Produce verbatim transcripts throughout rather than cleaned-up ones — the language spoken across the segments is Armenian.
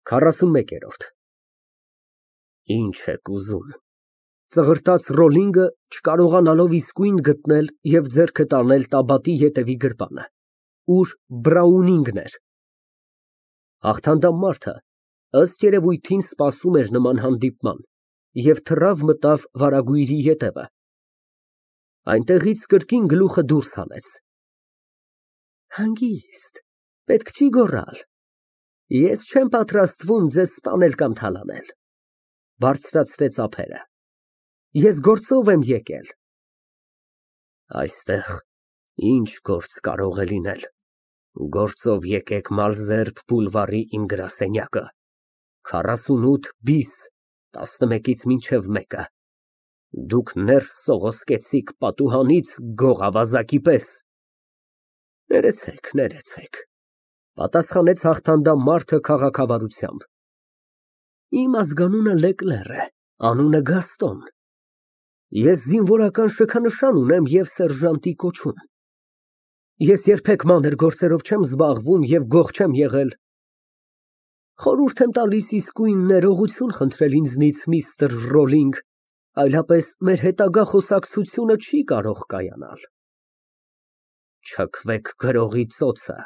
քառասունմեկերորդ Ինչ եք ուզում։ Ծղրտաց Ռոլինգը, չկարողանալով իսկույն գտնել և ձեռքը տանել տաբատի ետևի գրպանը, ուր Բրաունինգն էր։ Հաղթանդամ մարդը, ըստ երևույթին, սպասում էր նման հանդիպման և թռավ մտավ վարագույրի ետևը, այնտեղից կրկին գլուխը դուրս հանեց։ Հանգիստ, պետք չի գոռալ, ես չեմ պատրաստվում ձեզ սպանել կամ թալանել, բարձրացրեց ափերը, ես գործով եմ եկել։ Այստեղ ինչ գործ կարող է լինել, գործով եկեք Մալզերբ բուլվարի իմ գրասենյակը, քառասունութ բիս, տասնմեկից մինչև մեկը, դուք ներս սողոսկեցիք պատուհանից գող ավազակի պես։ Ներեցեք, ներեցեք, պատասխանեց հաղթանդամ մարդը քաղաքավարությամբ։ Իմ ազգանունը Լեկլեր է, անունը Գաստոն, ես զինվորական շքանշան ունեմ և սերժանտի կոչում, ես երբեք մանր գործերով չեմ զբաղվում և գող չեմ եղել։ Խորհուրդ եմ տալիս իսկույն ներողություն խնդրել ինձնից, միստր Ռոլինգ, այլապես մեր հետագա խոսակցությունը չի կարող կայանալ։ Չքվեք գրողի ծոցը,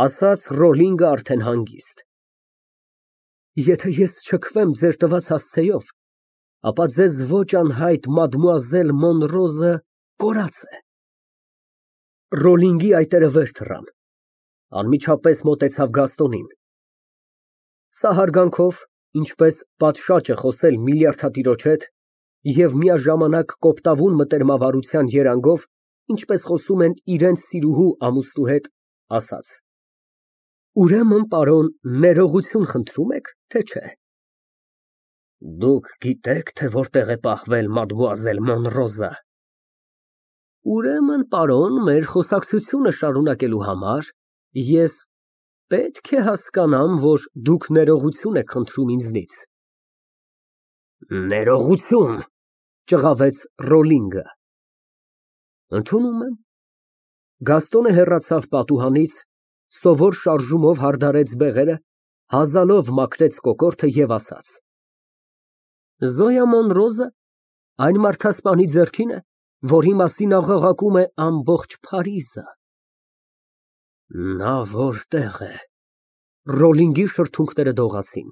ասաց Ռոլինգը արդեն հանգիստ։ Եթե ես չքվեմ ձեր տված հասցեով, ապա ձեզ ոչ անհայտ մադմուազել Մոնրոզը կորած է։ Ռոլինգի այտերը վեր թռան, անմիջապես մոտեցավ Գաստոնին։ Սա հարգանքով, ինչպես պատշաճ է խոսել միլիարդատիրոջ հետ, և միաժամանակ կոպտավուն մտերմավարության երանգով, ինչպես խոսում են իրենց սիրուհու ամուսնու հետ, ասաց. Ուրեմն, պարոն, ներողություն խնդրում եք, թե չէ։ Դուք գիտեք, թե որտեղ է պահվել մադմուազել Մոնրոզը։ Ուրեմն, պարոն, մեր խոսակցությունը շարունակելու համար ես պետք է հասկանամ, որ դուք ներողություն եք խնդրում ինձնից։ Ներողություն, ճղավեց Ռոլինգը։ Ընդունում եմ։ Գաստոնը հեռացավ պատուհանից, սովոր շարժումով հարդարեց բեղերը, հազալով մաքրեց կոկորդը և ասաց. Զոյա Մոնրոզը այն մարդասպանի ձեռքին է, որի մասին աղաղակում է ամբողջ Փարիզը։ Նա որտեղ է։ Ռոլինգի շրթունքները դողացին։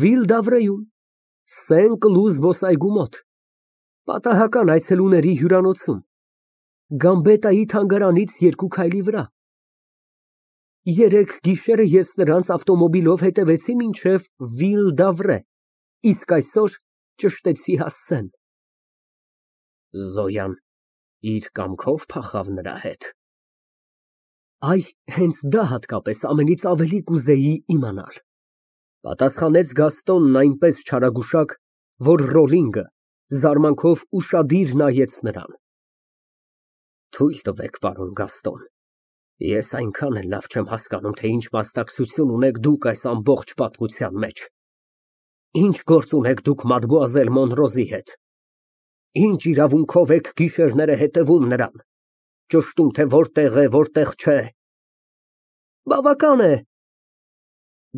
Վիլ֊դավրեում, Սեն֊Կլու զբոսայգու մոտ, պատահական այցելուների հյուրանոցում, Գամբետայի թանգարանից երկու քայլի վրա։ Երեկ գիշերը ես նրանց ավտոմոբիլով հետևեցի մինչև Վիլ֊դավրե, իսկ այսօր ճշտեցի հասցեն։ Զոյան իր կամքով փախավ նրա հետ։ Այ, հենց դա հատկապես ամենից ավելի կուզեի իմանալ, պատասխանեց Գաստոնն այնպես չարագուշակ, որ Ռոլինգը զարմանքով ուշադիր նայեց նրան։ Թույլ տվեք, պարոն Գաստոն, ես այնքան էլ լավ չեմ հասկանում, թե ինչ մասնակցություն ունեք դուք այս ամբողջ պատմության մեջ։ Ինչ գործ ունեք դուք մադմուազել Մոնրոզի հետ։ Ինչ իրավունքով եք գիշերները հետևում նրան, ճշտում, թե որտեղ է, որտեղ չէ։ Բավական է։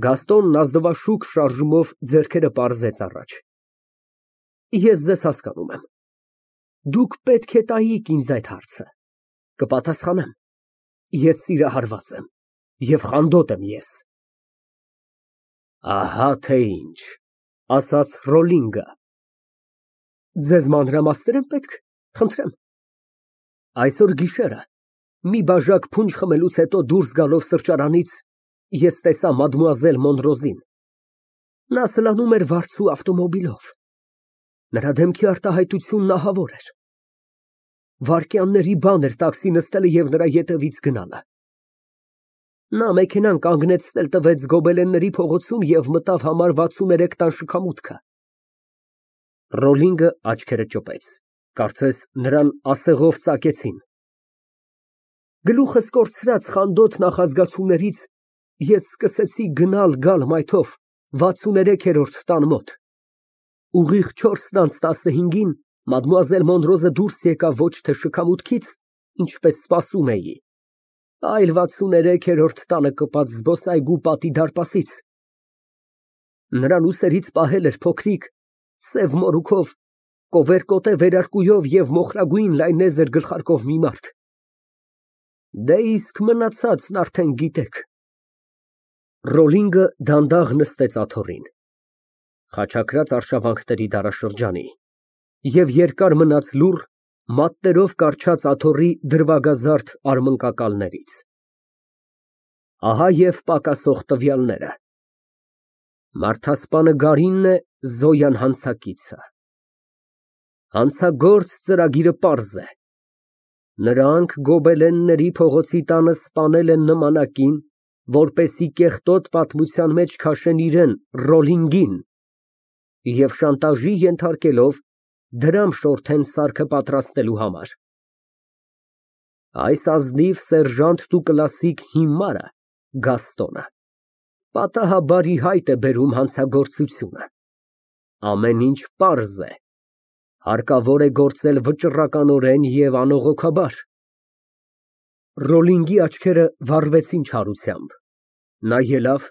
Գաստոնն ազնվաշուք շարժումով ձեռքերը պարզեց առաջ։ Ես ձեզ հասկանում եմ։ Դուք պետք է տայիք ինձ այդ հարցը։ Կպատասխանեմ։ Ես սիրահարված եմ և խանդոտ եմ ես։ Ահա թե ինչ, ասաց Ռոլինգը։ Ձեզ մանրամասներ եմ պետք, խնդրեմ։ Այսօր գիշերը, մի բաժակ փունջ խմելուց հետո դուրս գալով սրճարանից, ես տեսա մադմուազել Մոնրոզին։ Նա սլանում էր վարձու ավտոմոբիլով։ Նրա դեմքի արտահայտությունն ահավոր էր։ Վայրկյանների բան էր տաքսի նստելը և նրա ետևից գնալը։ Նա մեքենան կանգնեցնել տվեց Գոբելենների փողոցում և մտավ համար վաթսուններեք տան շքամուտքը։ Ռոլինգը աչքերը ճոպեց, կարծես նրան ասեղով ծակեցին։ Գլուխս կորցրած խանդոտ նախազգացումներից ես սկսեցի գնալ֊գալ մայթով վաթսուներեքերորդ տան մոտ։ Ուղիղ չորսն անց տասնհինգին մադմուազել Մոնրոզը դուրս եկավ ոչ թե շքամուտքից, ինչպես սպասում էի, Այլ վաթսուներեքերորդ տանը կպած զբոսայգու պատի դարպասից։ Նրան ուսերից պահել էր փոքրիկ, սև մորուքով, կովերկոտե վերարկուով և մոխրագույն լայնեզր գլխարկով մի մարդ։ Դե իսկ մնացածն արդեն գիտեք։ Ռոլինգը դանդաղ նստեց աթոռին, խաչակրած արշավանքների դարաշրջանի և երկար մնաց լուռ, մատներով կառչած աթոռի դրվագազարդ արմնկակալներից։ Ահա և պակասող տվյալները. Մարդասպանը Գարինն է, Զոյան հանցակիցը։ Հանցագործ ծրագիրը պարզ է. նրանք գոբելենների փողոցի տանը սպանել են նմանակին, որպեսզի կեղտոտ պատմության մեջ քաշեն իրան, Ռոլինգին, և շանտաժի ենթարկելով, դրամ շորթեն սարքը պատրաստելու համար։ Այս ազնիվ սերժանտ տուկլասիկ հիմարը, Գաստոնը, պատահաբար ի հայտ է բերում հանցագործությունը։ Ամեն ինչ պարզ է, հարկավոր է գործել վճռականորեն և անողոքաբար։ Ռոլինգի աչքերը վառվեցին չարությամբ, նա ելավ,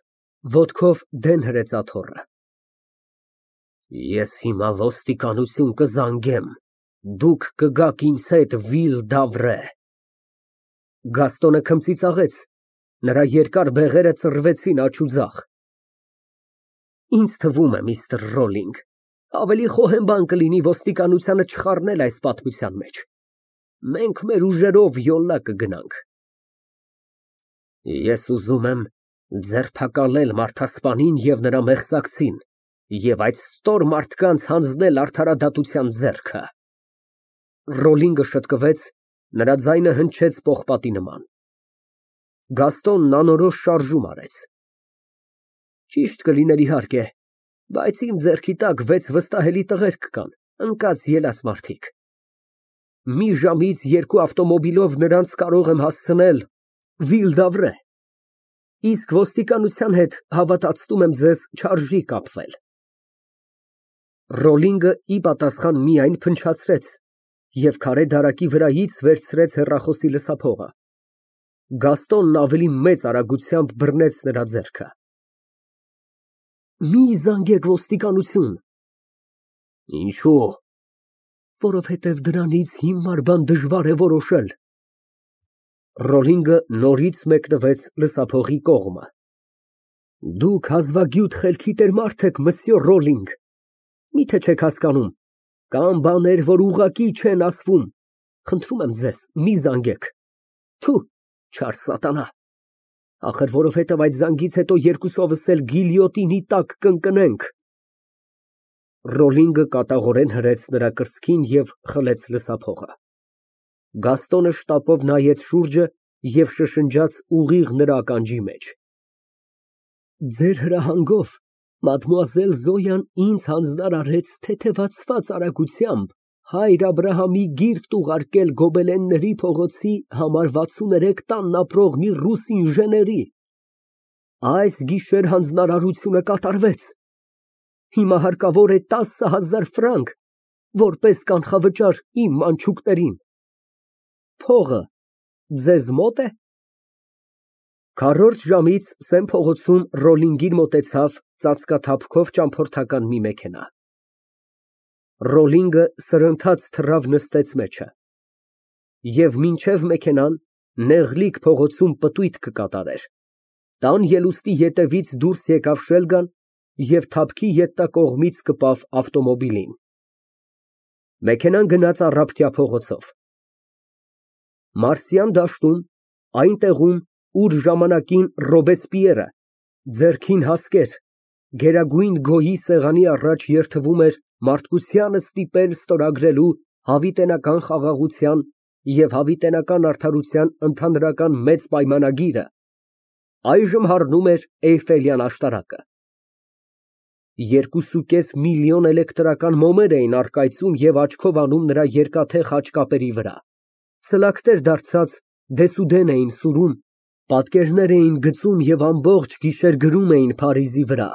ոտքով դեն հրեց աթոռը։ Ես հիմա ոստիկանություն կզանգեմ, դուք կգաք ինձ հետ Վիլ Դավրե։ Գաստոնը քմծիծաղեց, նրա երկար բեղերը ծռվեցին աջ ու ձախ։ Ինձ թվում է, միստր Ռոլինգ, ավելի խոհեմ բան կլինի ոստիկանությանը չխառնել այս պատմության մեջ։ Մենք մեր ուժերով յոլա կգնանք։ Ես ուզում եմ ձերբակալել մարդասպանին և նրա մեղսակցին և այդ ստոր մարդկանց հանձնել արդարադատության ձեռքը։ Ռոլինգը շտկվեց, նրա ձայնը հնչեց պողպատի նման։ Գաստոնն անորոշ շարժում արեց։ Ճիշտ կլիներ, իհարկե, բայց իմ ձեռքի տակ վեց վստահելի տղերք կան, ընկած֊ելած մարդիկ։ Մի ժամից երկու ավտոմոբիլով նրանց կարող եմ հասցնել Վիլ Դավրե, իսկ ոստիկանության հետ, հավատացնում եմ ձեզ, չարժի կապվել։ Ռոլինգը ի պատասխան միայն փնչացրեց և քարե դարակի վրայից վերցրեց հեռախոսի լսափողը։ Գաստոնն ավելի մեծ արագությամբ բռնեց նրա ձեռքը։ Մի զանգեք ոստիկանություն։ Ինչո՞ւ։ Որովհետև դրանից հիմար բան դժվար է որոշել։ Ռոլինգը նորից մեկնվեց լսափողի կողմը։ Դուք հազվագյուտ խելքի տեր մարդ եք, մսյո Ռոլինգ, միթե չեք հասկանում, կան բաներ, որ ուղղակի չեն ասվում։ Խնդրում եմ ձեզ, մի զանգեք։ Թու, չար սատանա, ախր որովհետև այդ զանգից հետո երկուսովս էլ գիլյոտինի տակ կընկնենք։ Ռոլինգը կատաղորեն հրեց նրա կրծքին և խլեց լսափողը։ Գաստոնը շտապով նայեց շուրջը և շշնջաց ուղիղ նրա ականջի մեջ. Ձեր հրահանգով մադմուազել Զոյան ինձ հանձնարարեց թեթևացված արագությամբ հայր Աբրահամի գիրկն ուղարկել գոբելենների փողոցի համար վաթսուներեք տանն ապրող մի ռուս ինժեների։ Այս գիշեր հանձնարարությունը կատարվեց։ Հիմա հարկավոր է տասը հազար ֆրանկ, որպես կանխավճար իմ մանչուկներին։ Փողը ձեզ մո՞տ է։ Քառորդ ժամից Սեն փողոցում Ռոլինգին մոտեցավ ծածկաթափքով ճամփորդական մի մեքենա։ Ռոլինգը սրընթաց թռավ նստեց մեջը։ Եվ մինչև մեքենան նեղլիկ փողոցում պտույտ կկատարեր։ Տան ելուստի ետևից դուրս եկավ շելգան և թափքի ետնակողմից կպավ ավտոմոբիլին։ Մեքենան գնաց առափտյա փողոցով։ Մարսյան դաշտում, այն տեղում, ուր ժամանակին Ռոբեսպիերը, ձեռքին հասկեր, գերագույն գոյի սեղանի առաջ երդվում էր մարդկությանը ստիպել ստորագրելու հավիտենական խաղաղության և հավիտենական արդարության ընդհանրական մեծ պայմանագիրը, այժմ հառնում էր Էյֆելյան աշտարակը։ Երկուսուկես միլիոն էլեկտրական մոմեր էին առկայծում և աչքով անում նրա երկաթե խաչկապերի վրա, սլաքներ դարձած դեսուդեն էին սուրում, պատկերներ էին գծում և ամբողջ գիշեր գրում էին Փարիզի վրա.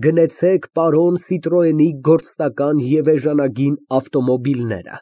գնեցեք պարոն Սիտրոենի գործնական և էժանագին ավտոմոբիլները։